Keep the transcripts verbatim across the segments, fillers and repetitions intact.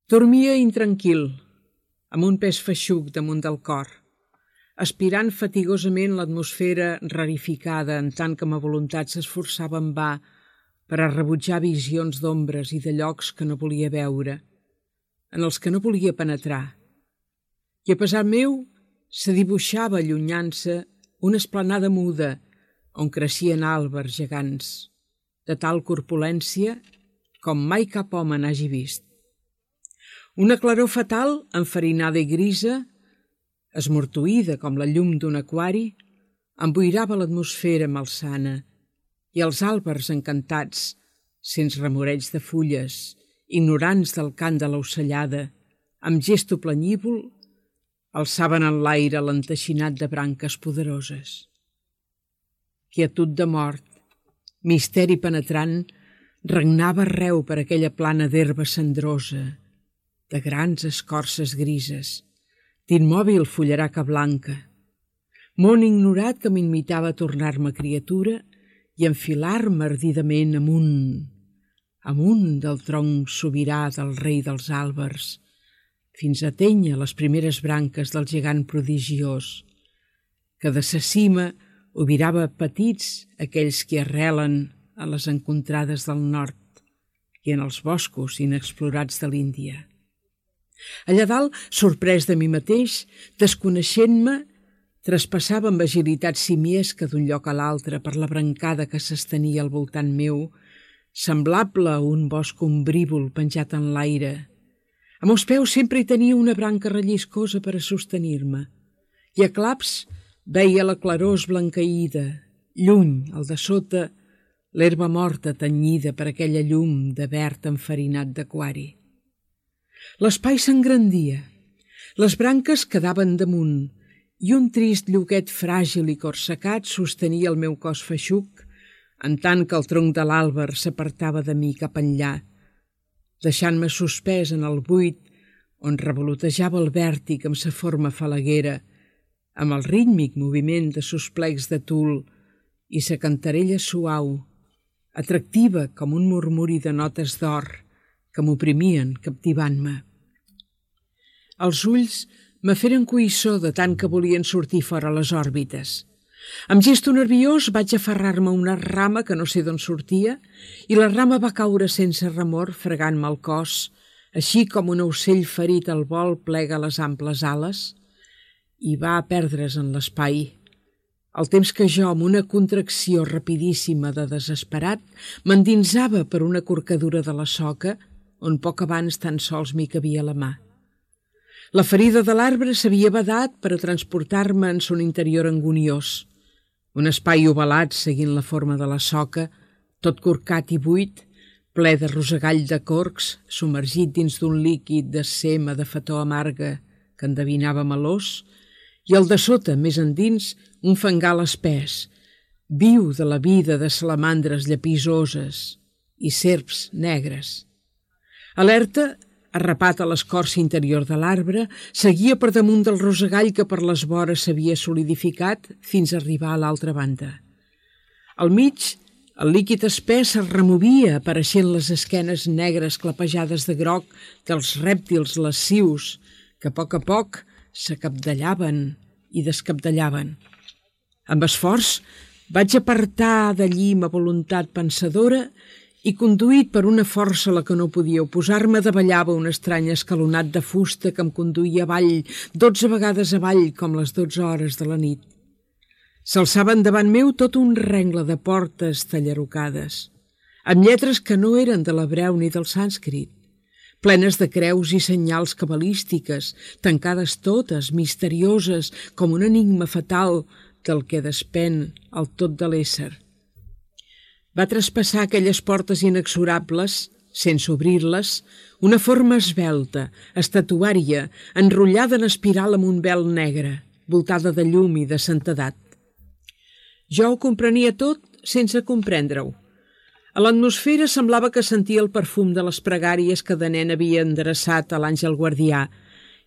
Dormia intranquil, amb un pes feixuc damunt del cor, aspirant fatigosament l'atmosfera rarificada en tant que ma voluntat s'esforçava en va per a rebutjar visions d'ombres i de llocs que no volia veure, en els que no volia penetrar. I a pesar meu se dibuixava allunyant-se una esplanada muda on creixien àlbers gegants, de tal corpulència com mai cap home n'hagi vist. Una claror fatal, enfarinada i grisa, esmortuïda com la llum d'un aquari, emboirava l'atmosfera malsana i els àlbers encantats, sense remoreig de fulles, ignorants del cant de l'ocellada, amb gesto planyívol, alçaven en l'aire l'enteixinat de branques poderoses. Quietud de mort, misteri penetrant, regnava arreu per aquella plana d'herba cendrosa, de grans escorces grises, d'immòbil fullaraca blanca, món ignorat que m'imitava tornar-me criatura i enfilar-me ardidament amunt, amunt del tronc sobirà del rei dels àlbers, fins a atènyer les primeres branques del gegant prodigiós, que de sa cima obirava petits aquells que arrelen a les encontrades del nord i en els boscos inexplorats de l'Índia. Allà dalt, sorprès de mi mateix, desconeixent-me, traspassava amb agilitat simiesca d'un lloc a l'altre per la brancada que s'estenia al voltant meu, semblable a un bosc ombrívol penjat en l'aire. A meus peus sempre hi tenia una branca relliscosa per a sostenir-me, i a claps veia la claror esblanqueïda, lluny, al de sota, l'herba morta tenyida per aquella llum de verd enfarinat d'aquari. L'espai s'engrandia, les branques quedaven damunt i un trist lloquet fràgil i corsecat sostenia el meu cos feixuc, en tant que el tronc de l'àlber s'apartava de mi cap enllà, deixant-me suspès en el buit on revolotejava el vèrtic amb sa forma falaguera, amb el rítmic moviment de sos plecs de tul i sa cantarella suau, atractiva com un murmuri de notes d'or que m'oprimien captivant-me. Els ulls me feren coïssor de tant que volien sortir fora les òrbites. Amb gesto nerviós vaig aferrar-me a una rama que no sé d'on sortia i la rama va caure sense remor fregant-me el cos, així com un ocell ferit al vol plega les amples ales i va a perdre's en l'espai, al temps que jo, amb una contracció rapidíssima de desesperat, m'endinsava per una corcadura de la soca on poc abans tan sols m'hi cabia la mà. La ferida de l'arbre s'havia badat per a transportar-me en son interior anguniós, un espai ovalat seguint la forma de la soca, tot corcat i buit, ple de rosegall de corcs, submergit dins d'un líquid de sema de fató amarga que endevinava melós, i al de sota, més endins, un fangal espès, viu de la vida de salamandres llepisoses i serps negres. Alerta, arrapat a l'escorça interior de l'arbre, seguia per damunt del rosegall que per les vores s'havia solidificat fins a arribar a l'altra banda. Al mig, el líquid espès es removia apareixent les esquenes negres clapejades de groc dels rèptils lascius que a poc a poc s'acabdellaven i descabdellaven. Amb esforç vaig apartar d'allí ma voluntat pensadora i, conduït per una força a la que no podia oposar-me, davallava un estrany escalonat de fusta que em conduïa avall, dotze vegades avall, com les dotze hores de la nit. S'alçaven davant meu tot un rengle de portes tallarocades, amb lletres que no eren de l'hebreu ni del sànscrit, plenes de creus i senyals cabalístiques, tancades totes, misterioses, com un enigma fatal del que despèn el tot de l'ésser. Va traspassar aquelles portes inexorables, sense obrir-les, una forma esvelta, estatuària, enrotllada en espiral amb un vel negre, voltada de llum i de santedat. Jo ho comprenia tot sense comprendre-ho. A l'atmosfera semblava que sentia el perfum de les pregàries que de nen havia endreçat a l'àngel guardià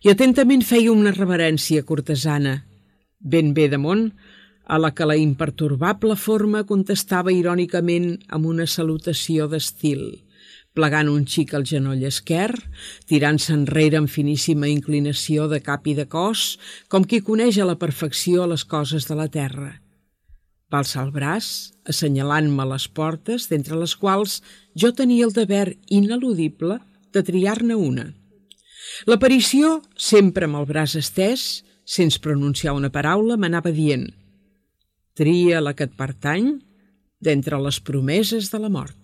i atentament feia una reverència cortesana, ben bé damunt, a la que la impertorbable forma contestava irònicament amb una salutació d'estil, plegant un xic al genoll esquerr, tirant-se enrere amb finíssima inclinació de cap i de cos, com qui coneix a la perfecció les coses de la terra. Va alçar el braç, assenyalant-me les portes, d'entre les quals jo tenia el deber ineludible de triar-ne una. L'aparició, sempre amb el braç estès, sense pronunciar una paraula, m'anava dient: «Tria la que et pertany d'entre les promeses de la mort.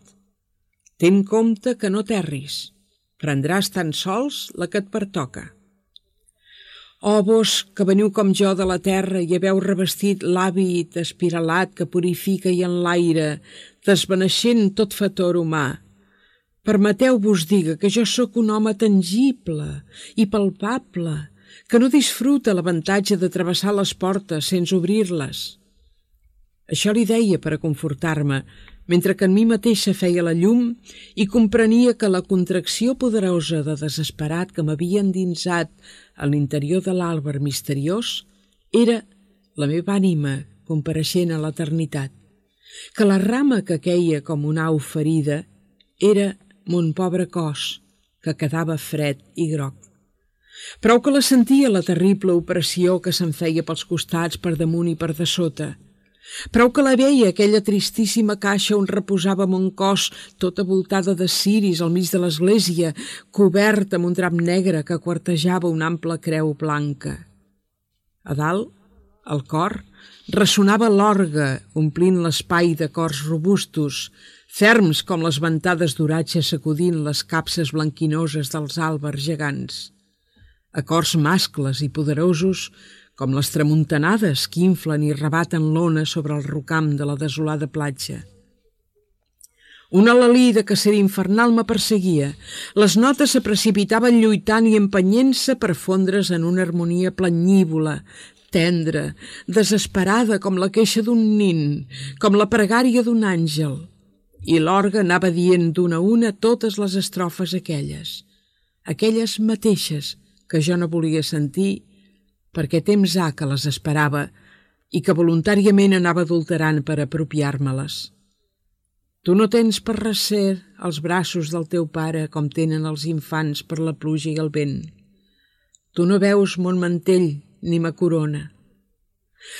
Ten compte que no terris, prendràs tan sols la que et pertoca. Oh, vos, que veniu com jo de la terra i haveu revestit l'hàbit espiralat que purifica i enlaire, desvaneixent tot fetor humà, permeteu-vos diga que jo sóc un home tangible i palpable, que no disfruta l'avantatge de travessar les portes sense obrir-les». Això li deia per a confortar-me, mentre que en mi mateixa feia la llum i comprenia que la contracció poderosa de desesperat que m'havia endinsat a l'interior de l'àlber misteriós era la meva ànima compareixent a l'eternitat, que la rama que queia com una au ferida era mon pobre cos, que quedava fred i groc. Prou que la sentia la terrible opressió que se'm feia pels costats, per damunt i per de sota. Prou que la veia, aquella tristíssima caixa on reposava mon cos, tota voltada de ciris al mig de l'església, coberta amb un drap negre que quartejava una ampla creu blanca. A dalt, al cor, ressonava l'orgue, omplint l'espai de cors robustos, ferms com les ventades d'oratge sacudint les capses blanquinoses dels àlbers gegants. Acords mascles i poderosos com les tramuntanades que inflen i rebaten l'ona sobre el rocam de la desolada platja. Un alelí de cacera infernal me perseguia. Les notes se precipitaven lluitant i empenyent-se per fondre's en una harmonia planyívola, tendra, desesperada com la queixa d'un nin, com la pregària d'un àngel. I l'orgue anava dient d'una a una totes les estrofes aquelles, aquelles mateixes que jo no volia sentir perquè temps ha que les esperava i que voluntàriament anava adulterant per apropiar-me-les. Tu no tens per recer els braços del teu pare com tenen els infants per la pluja i el vent. Tu no veus mon mantell ni ma corona.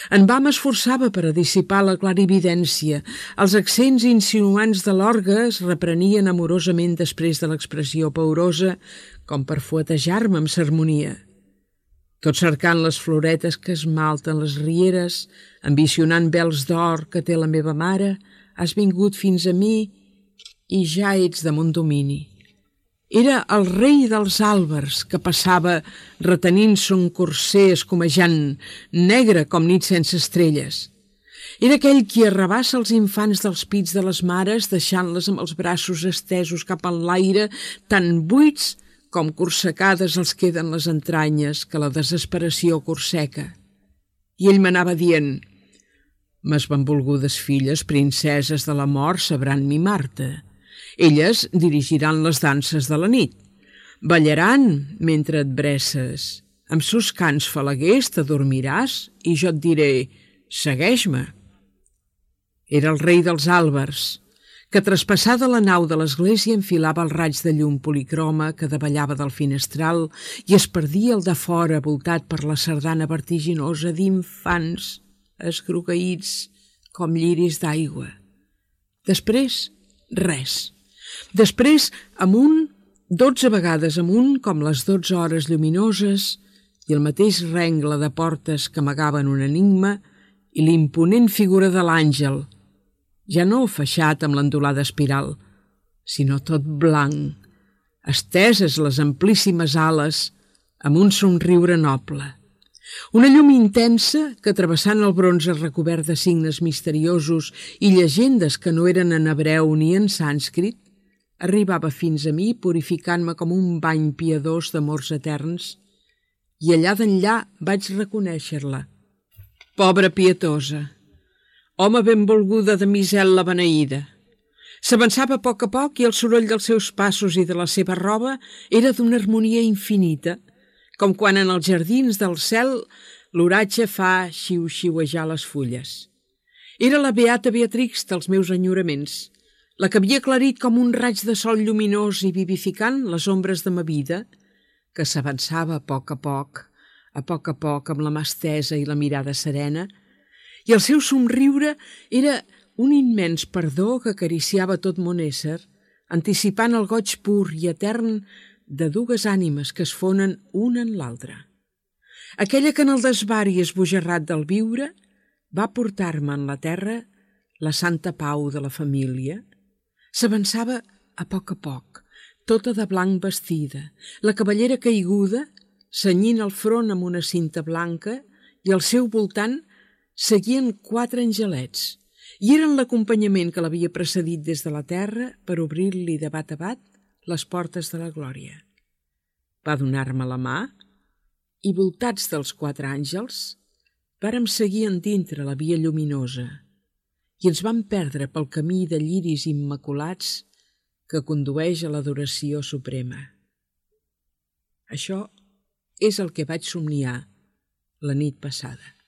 En va m'esforçava per a dissipar la clarividència. Els accents insinuants de l'orgue es reprenien amorosament després de l'expressió paurosa, com per fuetejar-me amb sermonia. Tot cercant les floretes que esmalten les rieres, ambicionant vels d'or que té la meva mare, has vingut fins a mi i ja ets de mon domini. Era el rei dels àlbers que passava retenint son corser escumejant, negre com nit sense estrelles. Era aquell qui arrabassa els infants dels pits de les mares, deixant-les amb els braços estesos cap en l'aire, tan buits com corsecades els queden les entranyes que la desesperació corseca. I ell m'anava dient: «Mes benvolgudes filles, princeses de la mort, sabran mimar-te. Elles dirigiran les danses de la nit. Ballaran mentre et bresses. Amb sos cants falaguers t'adormiràs i jo et diré: segueix-me». Era el rei dels àlbers, que traspassada la nau de l'església enfilava el raig de llum policroma que davallava del finestral i es perdia al de fora voltat per la sardana vertiginosa d'infants esgrogueïts com lliris d'aigua. Després, res. Després, amunt, dotze vegades amunt, com les dotze hores lluminoses, i el mateix rengle de portes que amagaven un enigma i l'imponent figura de l'àngel, ja no feixat amb l'endolada espiral, sinó tot blanc, esteses les amplíssimes ales amb un somriure noble. Una llum intensa que, travessant el bronze recobert de signes misteriosos i llegendes que no eren en hebreu ni en sànscrit, arribava fins a mi purificant-me com un bany piadós d'amors eterns, i allà d'enllà vaig reconèixer-la. Pobra pietosa, home benvolguda de misel la beneïda. S'avançava a poc a poc i el soroll dels seus passos i de la seva roba era d'una harmonia infinita, com quan en els jardins del cel l'oratge fa xiu-xiuejar les fulles. Era la beata Beatrix dels meus enyoraments, la que havia aclarit com un raig de sol lluminós i vivificant les ombres de ma vida, que s'avançava a poc a poc, a poc a poc amb la mà estesa i la mirada serena, i el seu somriure era un immens perdó que acariciava tot mon ésser, anticipant el goig pur i etern de dues ànimes que es fonen una en l'altra. Aquella que en el desvari esbojarrat del viure va portar-me en la terra la santa pau de la família. S'avançava a poc a poc, tota de blanc vestida, la cavallera caiguda, cenyint el front amb una cinta blanca, i al seu voltant seguien quatre angelets, i eren l'acompanyament que l'havia precedit des de la terra per obrir-li de bat a bat les portes de la glòria. Va donar-me la mà i, voltats dels quatre àngels, vàrem seguir endintre la via lluminosa i ens vam perdre pel camí de lliris immaculats que condueix a l'adoració suprema. Això és el que vaig somniar la nit passada.